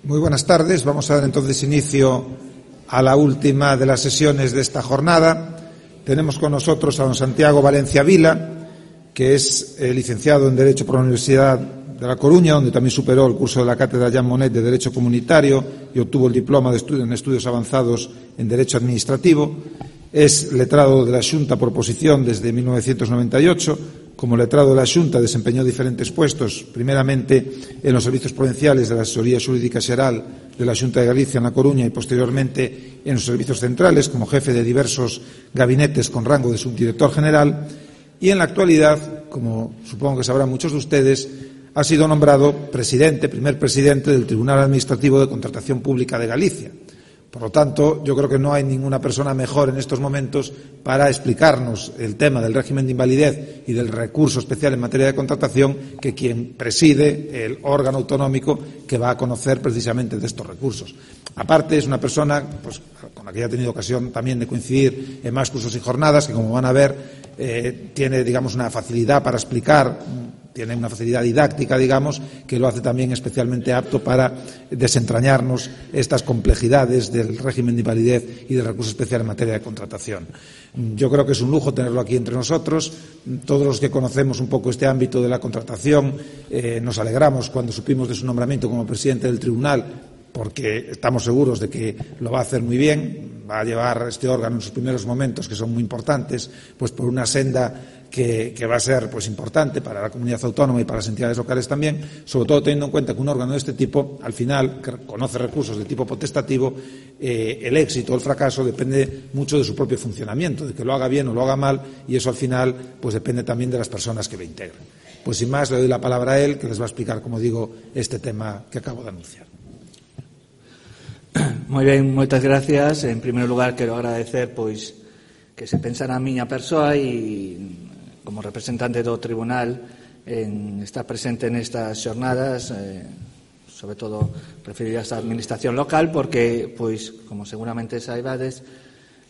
Muy buenas tardes. Vamos a dar entonces inicio a la última de las sesiones de esta jornada. Tenemos con nosotros a don Santiago Valencia Vila, que es licenciado en Derecho por la Universidad de La Coruña, donde también superó el curso de la cátedra Jean Monnet de Derecho Comunitario y obtuvo el diploma en estudios avanzados en Derecho Administrativo. Es letrado de la Xunta por oposición desde 1998. Como letrado de la Xunta desempeñó diferentes puestos, primeramente en los servicios provinciales de la Asesoría Xurídica Xeral de la Xunta de Galicia en La Coruña y posteriormente en los servicios centrales como jefe de diversos gabinetes con rango de subdirector general, y en la actualidad, como supongo que sabrán muchos de ustedes, ha sido nombrado primer presidente del Tribunal Administrativo de Contratación Pública de Galicia. Por lo tanto, yo creo que no hay ninguna persona mejor en estos momentos para explicarnos el tema del régimen de invalidez y del recurso especial en materia de contratación que quien preside el órgano autonómico que va a conocer precisamente de estos recursos. Aparte, es una persona con la que ya he tenido ocasión también de coincidir en más cursos y jornadas, que como van a ver tiene, una facilidad para explicar, tiene una facilidad didáctica, que lo hace también especialmente apto para desentrañarnos estas complejidades del régimen de invalidez y del recurso especial en materia de contratación. Yo creo que es un lujo tenerlo aquí entre nosotros. Todos los que conocemos un poco este ámbito de la contratación nos alegramos cuando supimos de su nombramiento como presidente del tribunal, porque estamos seguros de que lo va a hacer muy bien, va a llevar este órgano en sus primeros momentos, que son muy importantes, por una senda que va a ser importante para la comunidad autónoma y para las entidades locales también, sobre todo teniendo en cuenta que un órgano de este tipo, al final, que conoce recursos de tipo potestativo, el éxito o el fracaso depende mucho de su propio funcionamiento, de que lo haga bien o lo haga mal, y eso al final depende también de las personas que lo integran. Sin más, le doy la palabra a él, que les va a explicar, como digo, este tema que acabo de anunciar. Moi ben, moitas gracias. En primeiro lugar, quero agradecer que se pensara a miña persoa e como representante do tribunal en estar presente nestas xornadas, sobre todo referidas á administración local, porque, como seguramente saibades,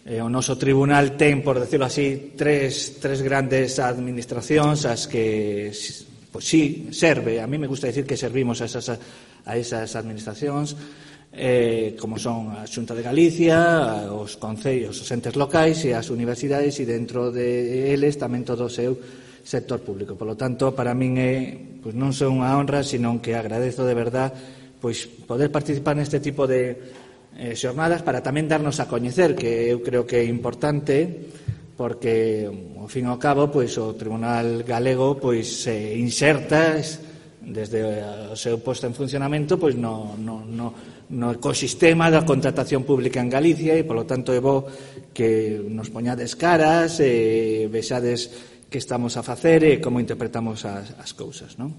o noso tribunal ten, por decirlo así, tres grandes administracións as que, sí, serve. A mí me gusta decir que servimos a esas administracións, como son a Xunta de Galicia, os concellos, os entes locais e as universidades, e dentro de eles tamén todo o seu sector público. Por lo tanto, para min non só unha honra, sino que agradezo de verdad poder participar neste tipo de xornadas para tamén darnos a coñecer, que eu creo que é importante, porque, ao fin e ao cabo, o Tribunal Galego se inserta desde o seu posto en funcionamento no ecosistema da contratación pública en Galicia, e, polo tanto, é bo que nos poñades caras e vexades que estamos a facer e como interpretamos as cousas, non?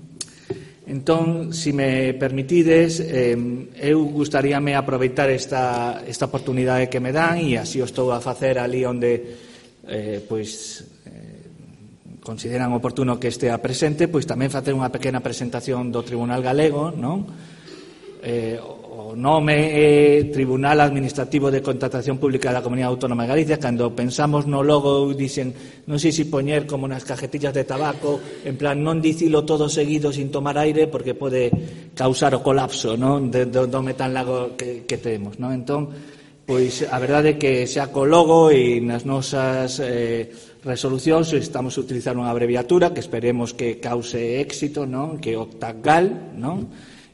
Entón, se me permitides, eu gustaríame aproveitar esta oportunidade que me dan, e así o estou a facer ali onde consideran oportuno que estea presente, tamén facer unha pequena presentación do Tribunal Galego, non? O nome é Tribunal Administrativo de Contratación Pública da Comunidade Autónoma de Galicia. Cando pensamos no logo, dicen, non sei se poñer como nas cajetillas de tabaco, en plan, non dicilo todo seguido sin tomar aire, porque pode causar o colapso, non, do metal lago que temos, non? Entón, a verdade é que xa co logo e nas nosas resolucións estamos a utilizar unha abreviatura que esperemos que cause éxito, non? Que é OCTAGAL, non?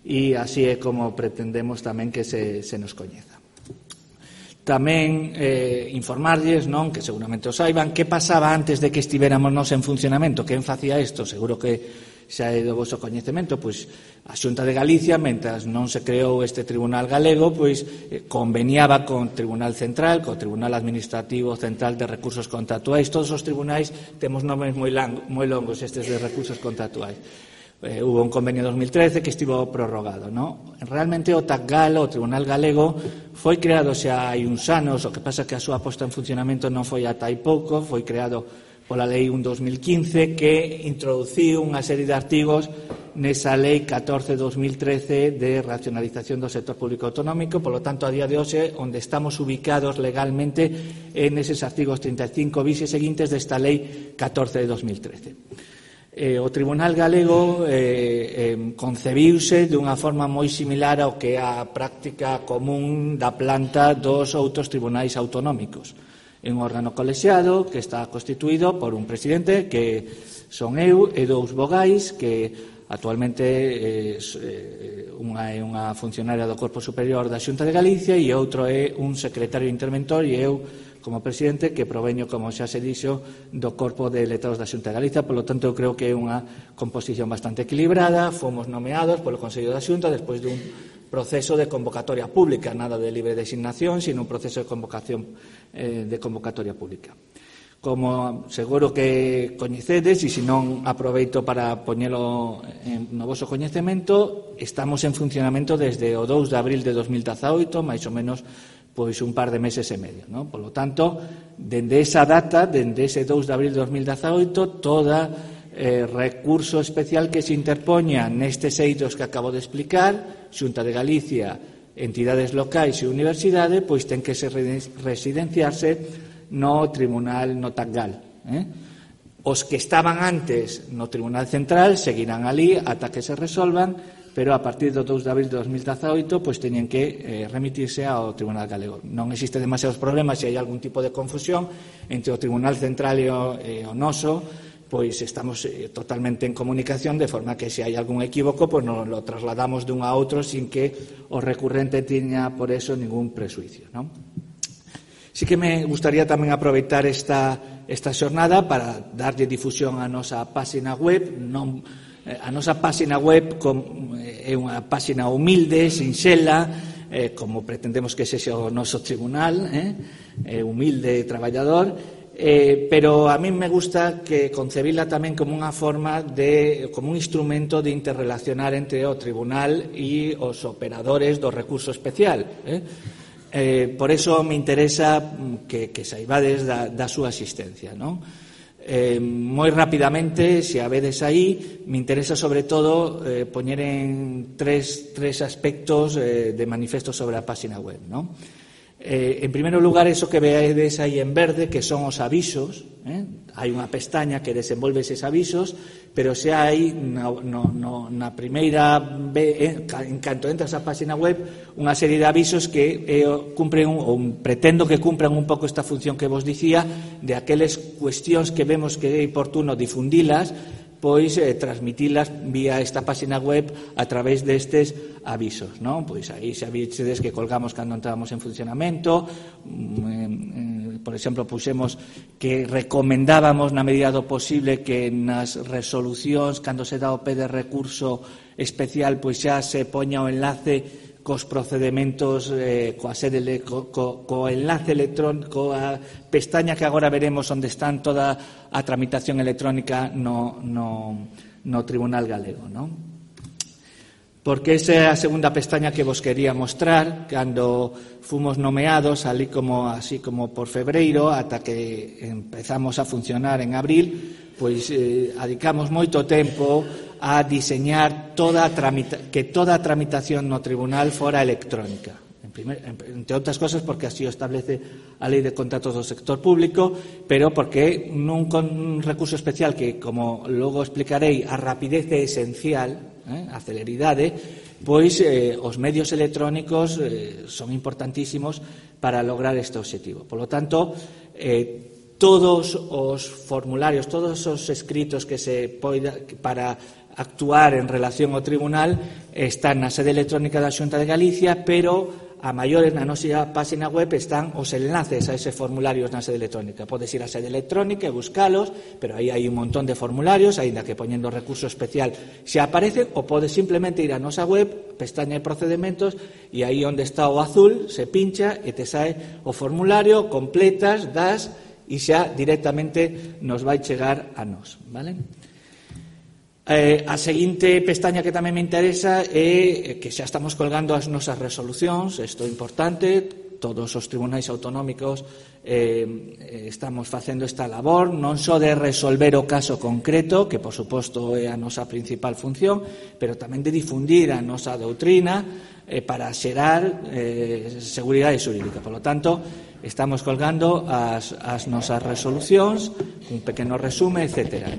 E así é como pretendemos tamén que se nos coñeza. Tamén informarlles, non, que seguramente o saiban, que pasaba antes de que estiveramos nos en funcionamento. Quen facía isto? Seguro que xa é do vosso coñecemento. A Xunta de Galicia, mentras non se creou este Tribunal Galego, conveniaba con o Tribunal Central, co Tribunal Administrativo Central de Recursos Contractuais. Todos os tribunais temos nomes moi longos estes de recursos contractuais. Hubo un convenio en 2013 que estivo prorrogado, non? Realmente o TACGAL, o Tribunal Galego, foi creado xa hai uns anos, o que pasa que a súa posta en funcionamento non foi ata hai pouco, foi creado pola Lei 1/2015, que introduciu unha serie de artigos nesa Lei 14/2013 de racionalización do sector público autonómico. Por lo tanto, a día de hoxe, onde estamos ubicados legalmente en eses artigos 35 bis e seguintes desta Lei 14/2013. O Tribunal Galego concebiuse dunha forma moi similar ao que é a práctica común da planta dos outros tribunais autonómicos. É un órgano colexiado que está constituído por un presidente, que son eu, e dous vogais, que actualmente unha é unha funcionaria do Corpo Superior da Xunta de Galicia e outro é un secretario interventor, e eu como presidente, que proveño, como xa se dixo, do Corpo de Letrados da Xunta de Galicia. Por lo tanto, eu creo que é unha composición bastante equilibrada. Fomos nomeados polo Consello da Xunta despois dun proceso de convocatoria pública, nada de libre designación, sino un proceso de convocatoria pública. Como seguro que coñecedes, e se non aproveito para poñelo no voso coñecemento, estamos en funcionamento desde o 2 de abril de 2018, máis ou menos pois un par de meses e medio, non? Por lo tanto, dende esa data, dende ese 2 de abril de 2018, toda recurso especial que se interpoña nestes eidos que acabo de explicar, Xunta de Galicia, entidades locais e universidade, pois ten que residenciarse no Tribunal Notangal. Os que estaban antes no Tribunal Central seguirán ali ata que se resolvan, pero a partir do 2 de abril de 2018 pois teñen que remitirse ao Tribunal Galego. Non existe demasiados problemas se hai algún tipo de confusión entre o Tribunal Central e o noso, pois estamos totalmente en comunicación, de forma que se hai algún equívoco, pois nos lo trasladamos dun a outro sin que o recurrente teña por eso ningún presuicio, non? Sí que me gustaría tamén aproveitar esta xornada para darlle difusión á nosa páxina web. A nosa páxina web é unha páxina humilde, sinxela, como pretendemos que sexa o noso tribunal, humilde e traballador, pero a mí me gusta que concebila tamén como unha forma como un instrumento de interrelacionar entre o tribunal e os operadores do recurso especial. Por eso me interesa que saibades da súa existencia, non? Moi rapidamente, se a vedes aí, me interesa sobre todo poñer en tres aspectos de manifesto sobre a páxina web, non? En primeiro lugar, eso que vedes aí en verde, que son os avisos. Hai unha pestaña que desenvolve eses avisos, pero se hai na primeira, en canto entras á páxina web, unha serie de avisos que cumpren ou pretendo que cumpran un pouco esta función que vos dicía, de aqueles cuestións que vemos que é oportuno difundilas, pois transmitilas vía esta páxina web a través destes avisos, non? Pois aí xa vistedes que colgamos cando entramos en funcionamento, por exemplo, puxemos que recomendábamos na medida do posible que nas resolucións, cando se dá o pé de recurso especial, pois xa se poña o enlace cos procedementos, co enlace electrónico, a pestaña que agora veremos onde están toda a tramitación electrónica no Tribunal Galego, non? Porque esa é a segunda pestaña que vos quería mostrar. Cando fomos nomeados, así como por febreiro, ata que empezamos a funcionar en abril, pois adicamos moito tempo a diseñar que toda a tramitación no tribunal fora electrónica. Entre outras cosas porque así o establece a Lei de Contratos do Sector Público, pero porque nun recurso especial que, como logo explicarei, a rapidez é esencial, a celeridade, pois os medios electrónicos son importantísimos para lograr este obxectivo. Por lo tanto, todos os formularios, todos os escritos que se poida para actuar en relación ao tribunal están na sede electrónica da Xunta de Galicia, pero a maiores na nosa páxina web están os enlaces a eses formularios na sede electrónica. Podes ir á sede electrónica e buscalos, pero aí hai un montón de formularios, aínda que poñendo recurso especial se aparecen, ou podes simplemente ir á nosa web, pestaña de procedementos, e aí onde está o azul se pincha e te sae o formulario, completas, das, e xa directamente nos vai chegar a nós, vale? A seguinte pestaña que tamén me interesa é que xa estamos colgando as nosas resolucións, isto é importante, todos os tribunais autonómicos estamos facendo esta labor, non só de resolver o caso concreto, que por suposto é a nosa principal función, pero tamén de difundir a nosa doutrina para xerar seguridade xurídica. Por lo tanto, estamos colgando as nosas resolucións, un pequeno resume, etc.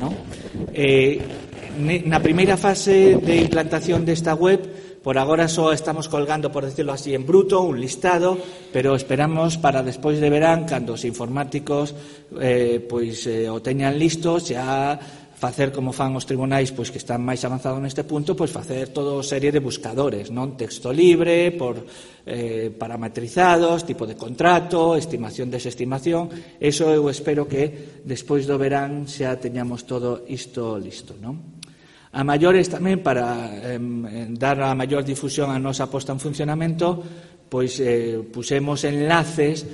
Na primeira fase de implantación desta web, por agora só estamos colgando, por decirlo así, en bruto, un listado, pero esperamos para despois de verán, cando os informáticos o teñan listo, xa facer como fan os tribunais pois que están máis avanzados neste punto, pois facer toda serie de buscadores, non? Texto libre, por parametrizados, tipo de contrato, estimación, desestimación. Eso eu espero que despois do verán xa teñamos todo isto listo, non? A maiores tamén, para dar a maior difusión a nosa posta en funcionamento, pois pusemos enlaces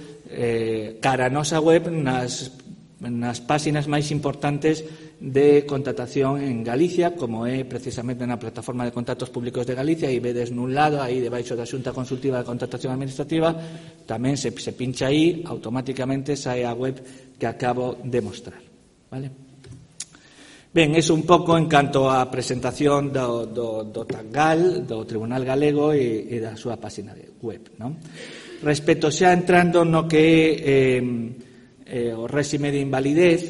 cara a nosa web nas páxinas máis importantes de contratación en Galicia, como é precisamente na plataforma de contactos públicos de Galicia, e vedes nun lado, aí debaixo da Xunta Consultiva de Contratación Administrativa, tamén se pincha aí, automáticamente sae a web que acabo de mostrar. Vale? Ben, é un pouco en canto á presentación do TACGAL, do Tribunal Galego e da súa página web, non? Respecto xa entrando no que é o réxime de invalidez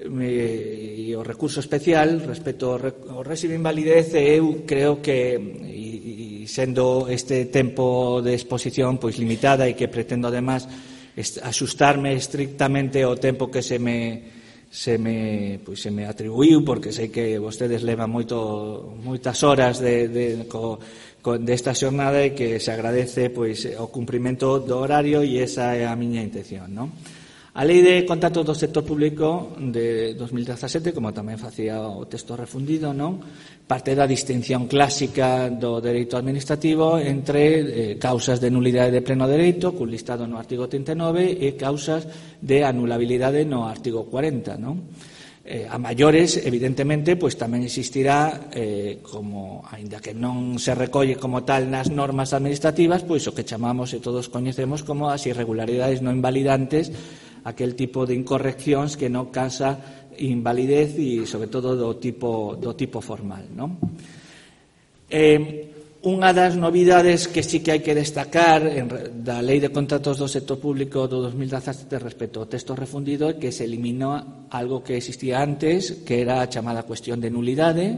e o recurso especial, respecto ao réxime de invalidez, eu creo que, e sendo este tempo de exposición pois limitada e que pretendo además axustarme estrictamente ao tempo que se me atribuiu, porque sei que vostedes levan moitas horas desta xornada e que se agradece o cumprimento do horario, e esa é a miña intención, non? A Lei de Contratos do Sector Público de 2017, como tamén facía o texto refundido, non? Parte da distinción clásica do dereito administrativo entre causas de nulidade de pleno dereito, cun listado no artigo 39, e causas de anulabilidade no artigo 40, non? A maiores, evidentemente, pois tamén existirá, como, aínda que non se recolle como tal nas normas administrativas, pois o que chamamos e todos coñecemos como as irregularidades non invalidantes, aquel tipo de incorreccións que non causa invalidez e, sobre todo, do tipo formal, non? Unha das novidades que sí que hai que destacar da Lei de Contratos do Sector Público do 2017 respecto ao texto refundido é que se eliminou algo que existía antes, que era a chamada cuestión de nulidade.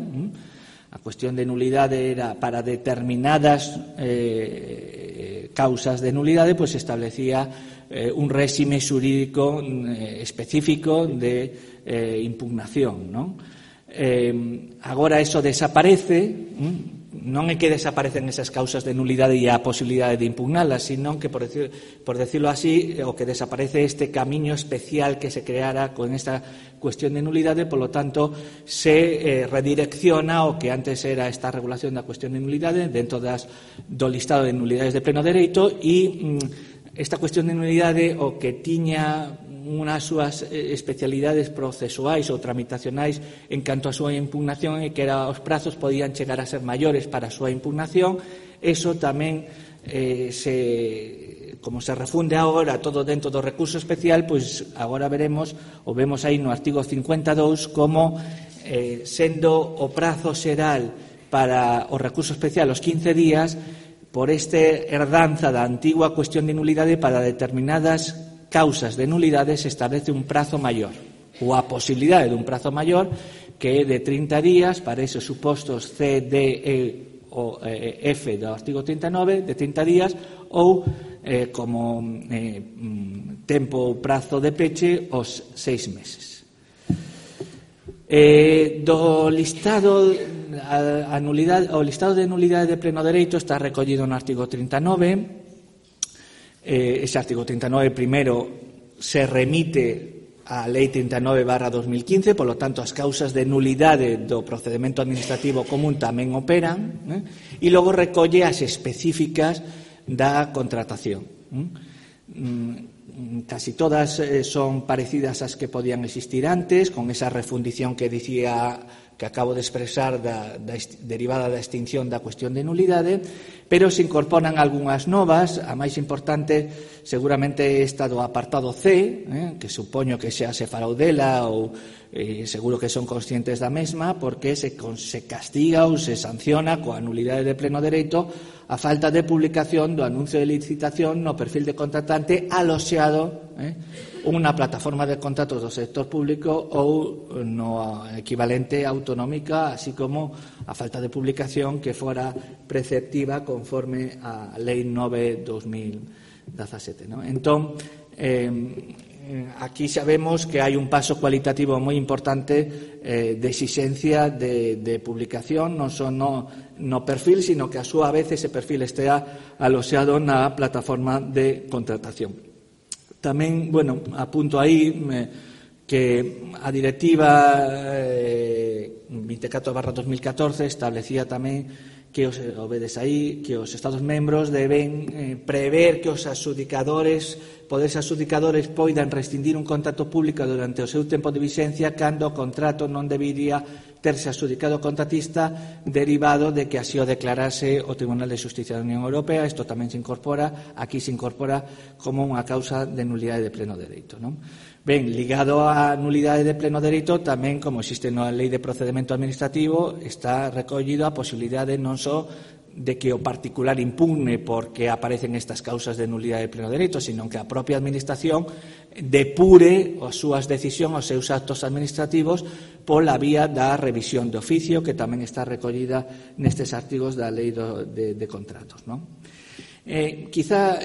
A cuestión de nulidade era para determinadas causas de nulidade, pois se establecía un réxime xurídico específico de impugnación, non? Agora eso desaparece, non é que desaparecen esas causas de nulidade e a posibilidade de impugnalas, sino que, por decirlo así, o que desaparece este camiño especial que se creara con esta cuestión de nulidade, polo tanto, se redirecciona o que antes era esta regulación da cuestión de nulidade dentro do listado de nulidades de pleno dereito, e esta cuestión de nulidade o que tiña unhas súas especialidades procesuais ou tramitacionais en canto a súa impugnación, e que os prazos podían chegar a ser maiores para a súa impugnación. Eso tamén, como se refunde agora todo dentro do recurso especial, pois agora veremos, ou vemos aí no artigo 52, como sendo o prazo xeral para o recurso especial os 15 días, por este herdanza da antigua cuestión de nulidade, para determinadas causas de nulidade se establece un prazo maior, ou a posibilidade dun prazo maior, que é de 30 días para esos supostos C, D, E ou F do artigo 39, de 30 días, ou como tempo ou prazo de peche os 6 meses. Do listado o listado de nulidade de pleno dereito está recollido no artigo 39. Ese artigo 39 primeiro se remite á Lei 39/2015, polo tanto as causas de nulidade do procedemento administrativo común tamén operan, e logo recolle as específicas da contratación. Casi todas son parecidas ás que podían existir antes, con esa refundición que dicía que acabo de expresar derivada da extinción da cuestión de nulidade, pero se incorporan algunhas novas. A máis importante seguramente esta do apartado C, que supoño que xa se falou dela ou seguro que son conscientes da mesma, porque se castiga ou se sanciona coa nulidade de pleno dereito a falta de publicación do anuncio de licitación no perfil de contratante aloxeado unha plataforma de contratos do sector público ou no equivalente autonómica, así como a falta de publicación que fora preceptiva conforme a Lei 9/2017. Entón, aquí sabemos que hai un paso cualitativo moi importante de exixencia de publicación, non só no perfil, sino que a súa vez ese perfil estea aloxeado na plataforma de contratación. Tamén, apunto aí que a Directiva 24/2014 establecía tamén que os Estados membros deben prever que os poderes adxudicadores poidan rescindir un contrato público durante o seu tempo de vixencia cando o contrato non debería terse adxudicado ao contratista derivado de que así o declarase o Tribunal de Xusticia da Unión Europea. Isto tamén se incorpora como unha causa de nulidade de pleno dereito, non? Ben, ligado á nulidade de pleno dereito, tamén, como existe na Lei de Procedemento Administrativo, está recollido a posibilidade non só de que o particular impugne porque aparecen estas causas de nulidade de pleno dereito, sino que a propia Administración depure as súas decisións, os seus actos administrativos pola vía da revisión de oficio, que tamén está recollida nestes artigos da Lei de Contratos, non? Quizá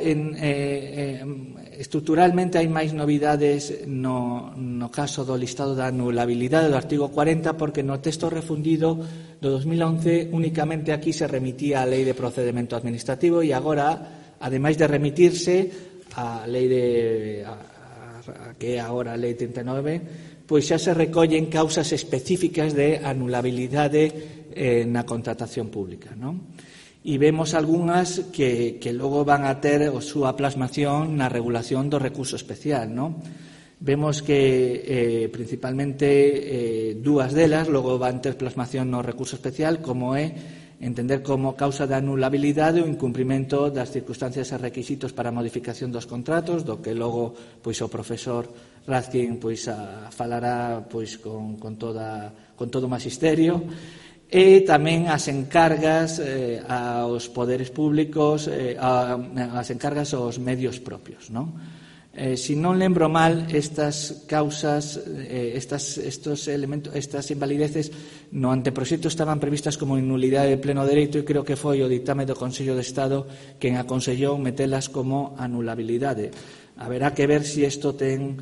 estruturalmente hai máis novidades no caso do listado da anulabilidade do artigo 40, porque no texto refundido do 2011 únicamente aquí se remitía a Lei de Procedemento Administrativo e agora, ademais de remitirse a lei que é agora a Lei 39, pois xa se recollen causas específicas de anulabilidade na contratación pública, non? E vemos algunhas que logo van a ter a súa plasmación na regulación do recurso especial, non? Vemos que principalmente dúas delas logo van ter plasmación no recurso especial, como é entender como causa de anulabilidade o incumprimento das circunstancias e requisitos para a modificación dos contratos, do que logo o profesor Razkin falará con todo o magisterio. E tamén as encargas aos poderes públicos, as encargas aos medios propios, non? Se non lembro mal, estas causas, estos elementos, estas invalideces no anteproxecto estaban previstas como nulidade de pleno dereito e creo que foi o ditame do Consello de Estado quen aconsellou metelas como anulabilidade. Haberá que ver se isto ten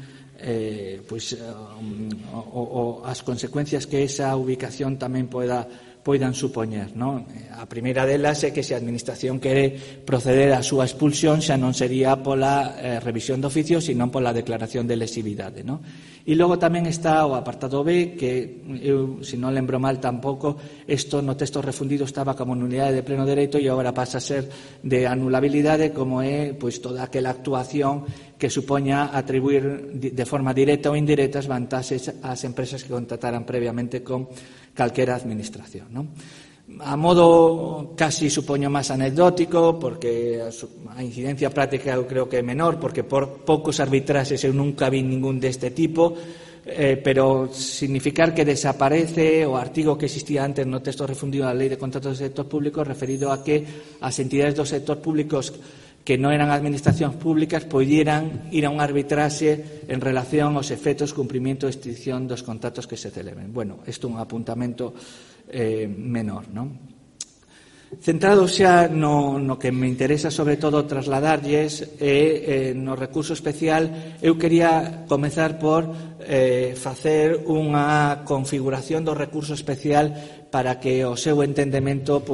as consecuencias que esa ubicación tamén poidan supoñer, non? A primeira delas é que se a Administración quere proceder á súa expulsión xa non sería pola revisión de oficio, sino pola declaración de lesividade, non? E logo tamén está o apartado B, que eu, se non lembro mal tampouco, isto no texto refundido estaba como nulidade de pleno dereito e agora pasa a ser de anulabilidade, como é toda aquela actuación que supoña atribuir de forma directa ou indirecta as vantaxes ás empresas que contrataran previamente con calquera administración, non? A modo casi supoño máis anecdótico, porque a incidencia práctica eu creo que é menor, porque por poucos arbitraxes eu nunca vi ningún deste tipo, pero significar que desaparece o artigo que existía antes no texto refundido da Lei de Contratos do Sector Público referido a que as entidades do sector públicos que non eran administracións públicas poidieran ir a un arbitraxe en relación aos efectos, cumprimento e extinción dos contratos que se celebren. Bueno, isto é un apuntamento menor, non? Centrado xa no que me interesa sobre todo trasladarlles no recurso especial, eu quería comezar por facer unha configuración do recurso especial para que o seu entendemento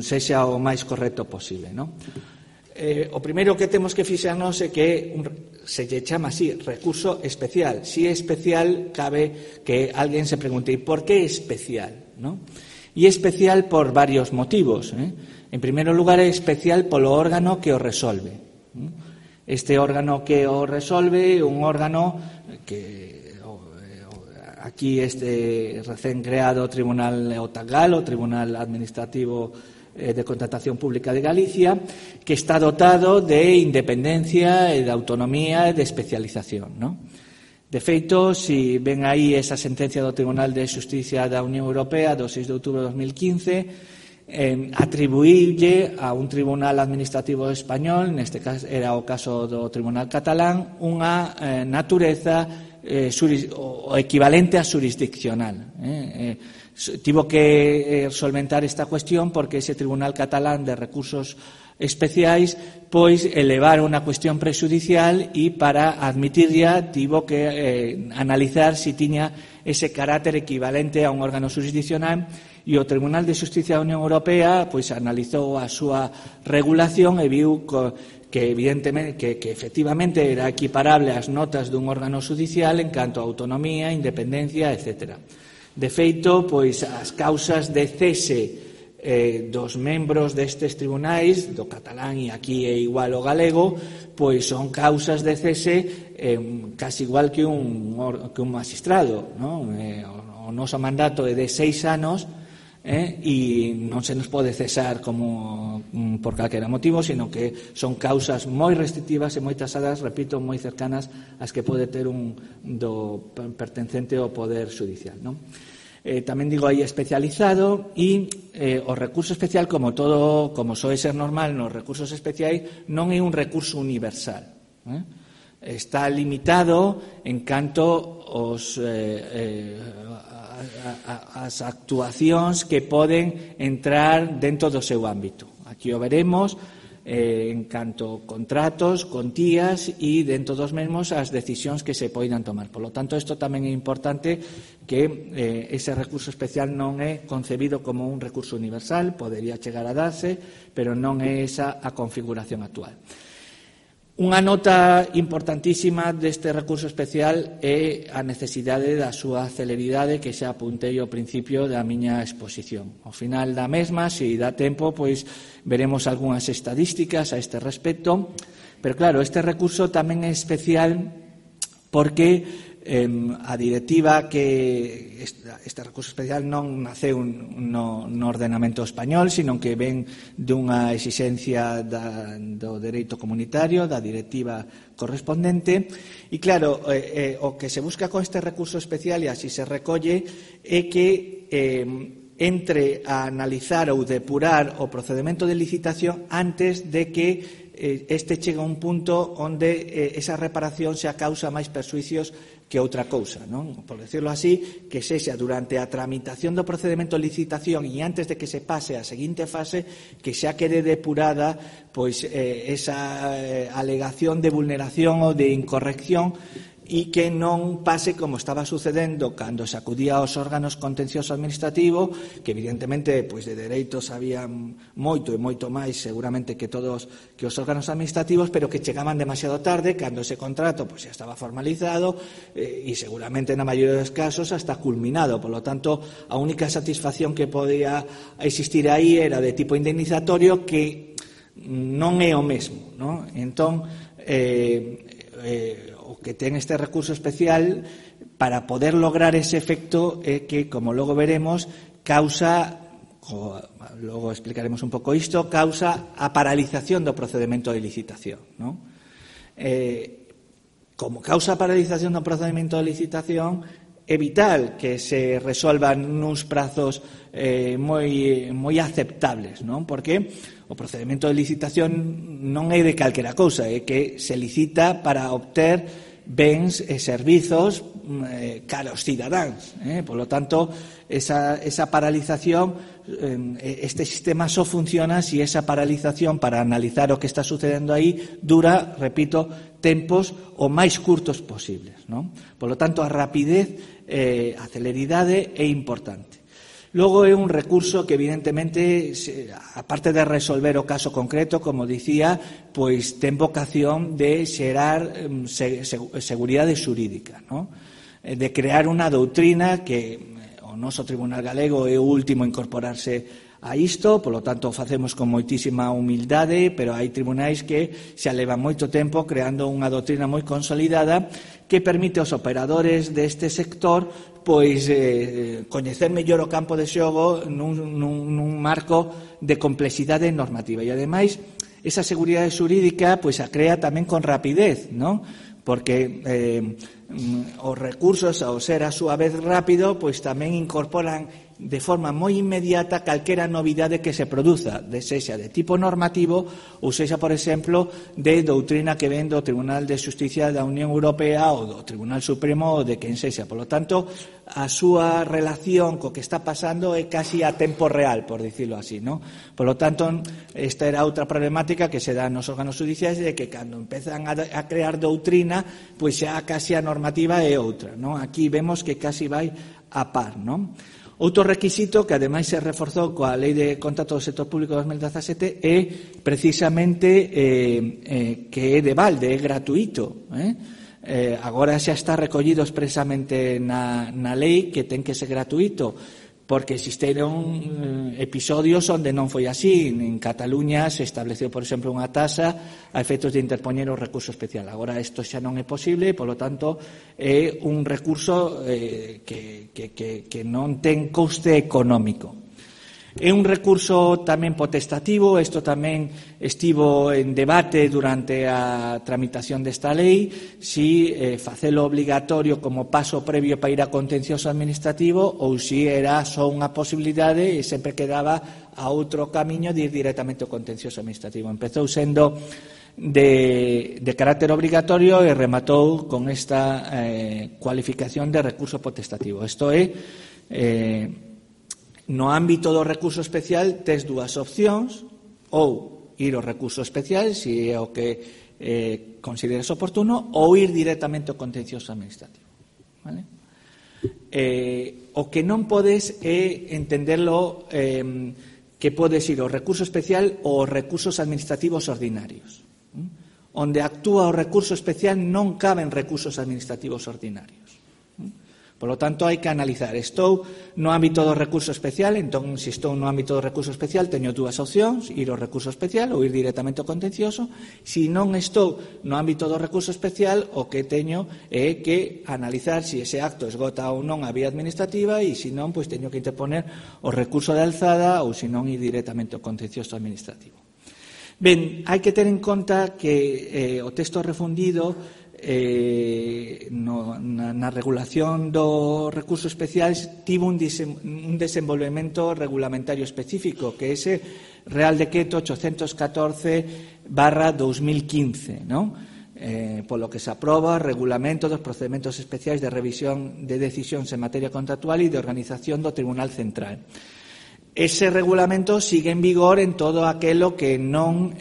sexa o máis correcto posible, non? O primeiro que temos que fixarnos é que se lle chama así, recurso especial. Si é especial, cabe que alguén se pregunte por que é especial, non? E é especial por varios motivos. En primeiro lugar, é especial polo órgano que o resolve. Este órgano que o resolve é un órgano que aquí este recén creado Tribunal OTAGAL, o Tribunal Administrativo de Contratación Pública de Galicia, que está dotado de independencia, de autonomía e de especialización, ¿no? De feito, si ven aí esa sentencia do Tribunal de Xusticia da Unión Europea do 6 de outubro de 2015, atribuílle a un tribunal administrativo español, neste caso era o caso do Tribunal Catalán, unha natureza o equivalente a xurisdiccional. Tivo que solventar esta cuestión porque ese Tribunal Catalán de Recursos Especiais pois elevar unha cuestión prexudicial e para admitirla tivo que analizar se tiña ese carácter equivalente a un órgano xurisdiccional, e o Tribunal de Xusticia da Unión Europea pois analizou a súa regulación e viu que evidentemente que efectivamente era equiparable ás notas dun órgano xudicial en canto a autonomía, independencia, etc. De feito, pois as causas de cese dos membros destes tribunais, do catalán e aquí é igual o galego, pois son causas de cese casi igual que un magistrado, non? O noso mandato é de 6 anos e non se nos pode cesar como por calquera motivo, sino que son causas moi restrictivas e moi tasadas, repito, moi cercanas ás que pode ter un pertencente ao Poder Xudicial, non? Tamén digo aí especializado, e o recurso especial, como soe ser normal nos recursos especiais, non é un recurso universal, está limitado en canto as actuacións que poden entrar dentro do seu ámbito. Aquí o veremos en canto contratos, contías e dentro dos mesmos as decisións que se poidan tomar. Por lo tanto, isto tamén é importante que ese recurso especial non é concebido como un recurso universal, podería chegar a darse, pero non é esa a configuración actual. Unha nota importantísima deste recurso especial é a necesidade da súa celeridade, que xa apuntei ao principio da miña exposición. Ao final da mesma, se dá tempo, pois veremos algunhas estadísticas a este respecto, pero claro, este recurso tamén é especial porque a directiva que este recurso especial non naceu no ordenamento español, sino que ven dunha exixencia do dereito comunitario, da directiva correspondente, e claro, o que se busca con este recurso especial, e así se recolle, é que entre a analizar ou depurar o procedemento de licitación antes de que este chega a un punto onde esa reparación xa causa máis perxuicios que outra cousa, non? Por decirlo así, que sexa durante a tramitación do procedemento de licitación e antes de que se pase a seguinte fase, que xa quede depurada pois esa alegación de vulneración ou de incorrección, e que non pase como estaba sucedendo cando se acudía aos órganos contencioso administrativo, que evidentemente pois de dereitos había moito e moito máis seguramente que os órganos administrativos, pero que chegaban demasiado tarde, cando ese contrato pois xa estaba formalizado e seguramente na maioría dos casos hasta culminado. Por lo tanto, a única satisfacción que podía existir aí era de tipo indemnizatorio, que non é o mesmo, non? Entón, o que ten este recurso especial para poder lograr ese efecto é que, como logo veremos, logo explicaremos un pouco isto, causa a paralización do procedemento de licitación, non? Como causa a paralización do procedemento de licitación, é vital que se resolvan nuns prazos moi aceptables, non? Porque o procedemento de licitación non é de calquera cousa, é que se licita para obter bens e servizos cara aos cidadáns. Por lo tanto, esa paralización, este sistema só funciona se esa paralización para analizar o que está sucedendo aí dura, repito, tempos o máis curtos posibles, non? Por lo tanto, a rapidez, a celeridade é importante. Logo é un recurso que evidentemente, aparte de resolver o caso concreto, como dicía, pois ten vocación de xerar seguridade xurídica, non? De crear unha doutrina que o noso Tribunal Galego é o último a incorporarse a isto, polo tanto facemos con moitísima humildade, pero hai tribunais que xa levan moito tempo creando unha doutrina moi consolidada que permite aos operadores deste sector pois coñecer mellor o campo de xogo nun marco de complexidade normativa. E ademais, esa seguridade xurídica pois a crea tamén con rapidez, non? Porque os recursos, ao ser a súa vez rápido, pois tamén incorporan de forma moi inmediata calquera novidade que se produza, sexa de tipo normativo ou sexa, por exemplo, de doutrina que ven do Tribunal de Xusticia da Unión Europea ou do Tribunal Supremo ou de quen sexa. Por lo tanto, a súa relación co que está pasando é casi a tempo real, por dicirlo así, ¿no? Por lo tanto, esta era outra problemática que se dá nos órganos judiciais, de que cando empezan a crear doutrina, pois xa casi a normativa é outra, ¿no? Aquí vemos que casi vai a par, ¿no? Outro requisito que ademais se reforzou coa Lei de Contrato do Sector Público de 2017 é precisamente que é de balde, é gratuito. Agora xa está recollido expresamente na lei que ten que ser gratuito, porque existeron episodios onde non foi así. En Cataluña se estableceu, por exemplo, unha tasa a efectos de interpoñer o recurso especial. Agora isto xa non é posible, polo tanto é un recurso que non ten coste económico. É un recurso tamén potestativo, isto tamén estivo en debate durante a tramitación desta lei, si facelo obligatorio como paso previo para ir a contencioso administrativo ou si era só unha posibilidade e sempre quedaba a outro camiño de ir directamente ao contencioso administrativo. Empezou sendo de carácter obrigatorio e rematou con esta cualificación de recurso potestativo. Isto é... No ámbito do recurso especial tes dúas opcións, ou ir ao recurso especial, se é o que consideres oportuno, ou ir directamente ao contencioso administrativo. Vale? O que non podes é entenderlo que podes ir ao recurso especial ou aos recursos administrativos ordinarios. Onde actúa o recurso especial non caben recursos administrativos ordinarios. Por lo tanto, hai que analizar. Estou no ámbito do recurso especial, entón, se estou no ámbito do recurso especial, teño dúas opcións, ir ao recurso especial ou ir directamente ao contencioso. Se non estou no ámbito do recurso especial, o que teño é que analizar se ese acto esgota ou non a vía administrativa e, se non, pois teño que interponer o recurso de alzada ou, se non, ir directamente ao contencioso administrativo. Ben, hai que ter en conta que o texto refundido na regulación do recurso especial tivo un desenvolvemento regulamentario específico, que é ese Real Decreto 814/2015, non? Polo que se aproba o regulamento dos procedementos especiais de revisión de decisións en materia contractual e de organización do Tribunal Central. Ese regulamento sigue en vigor en todo aquelo que non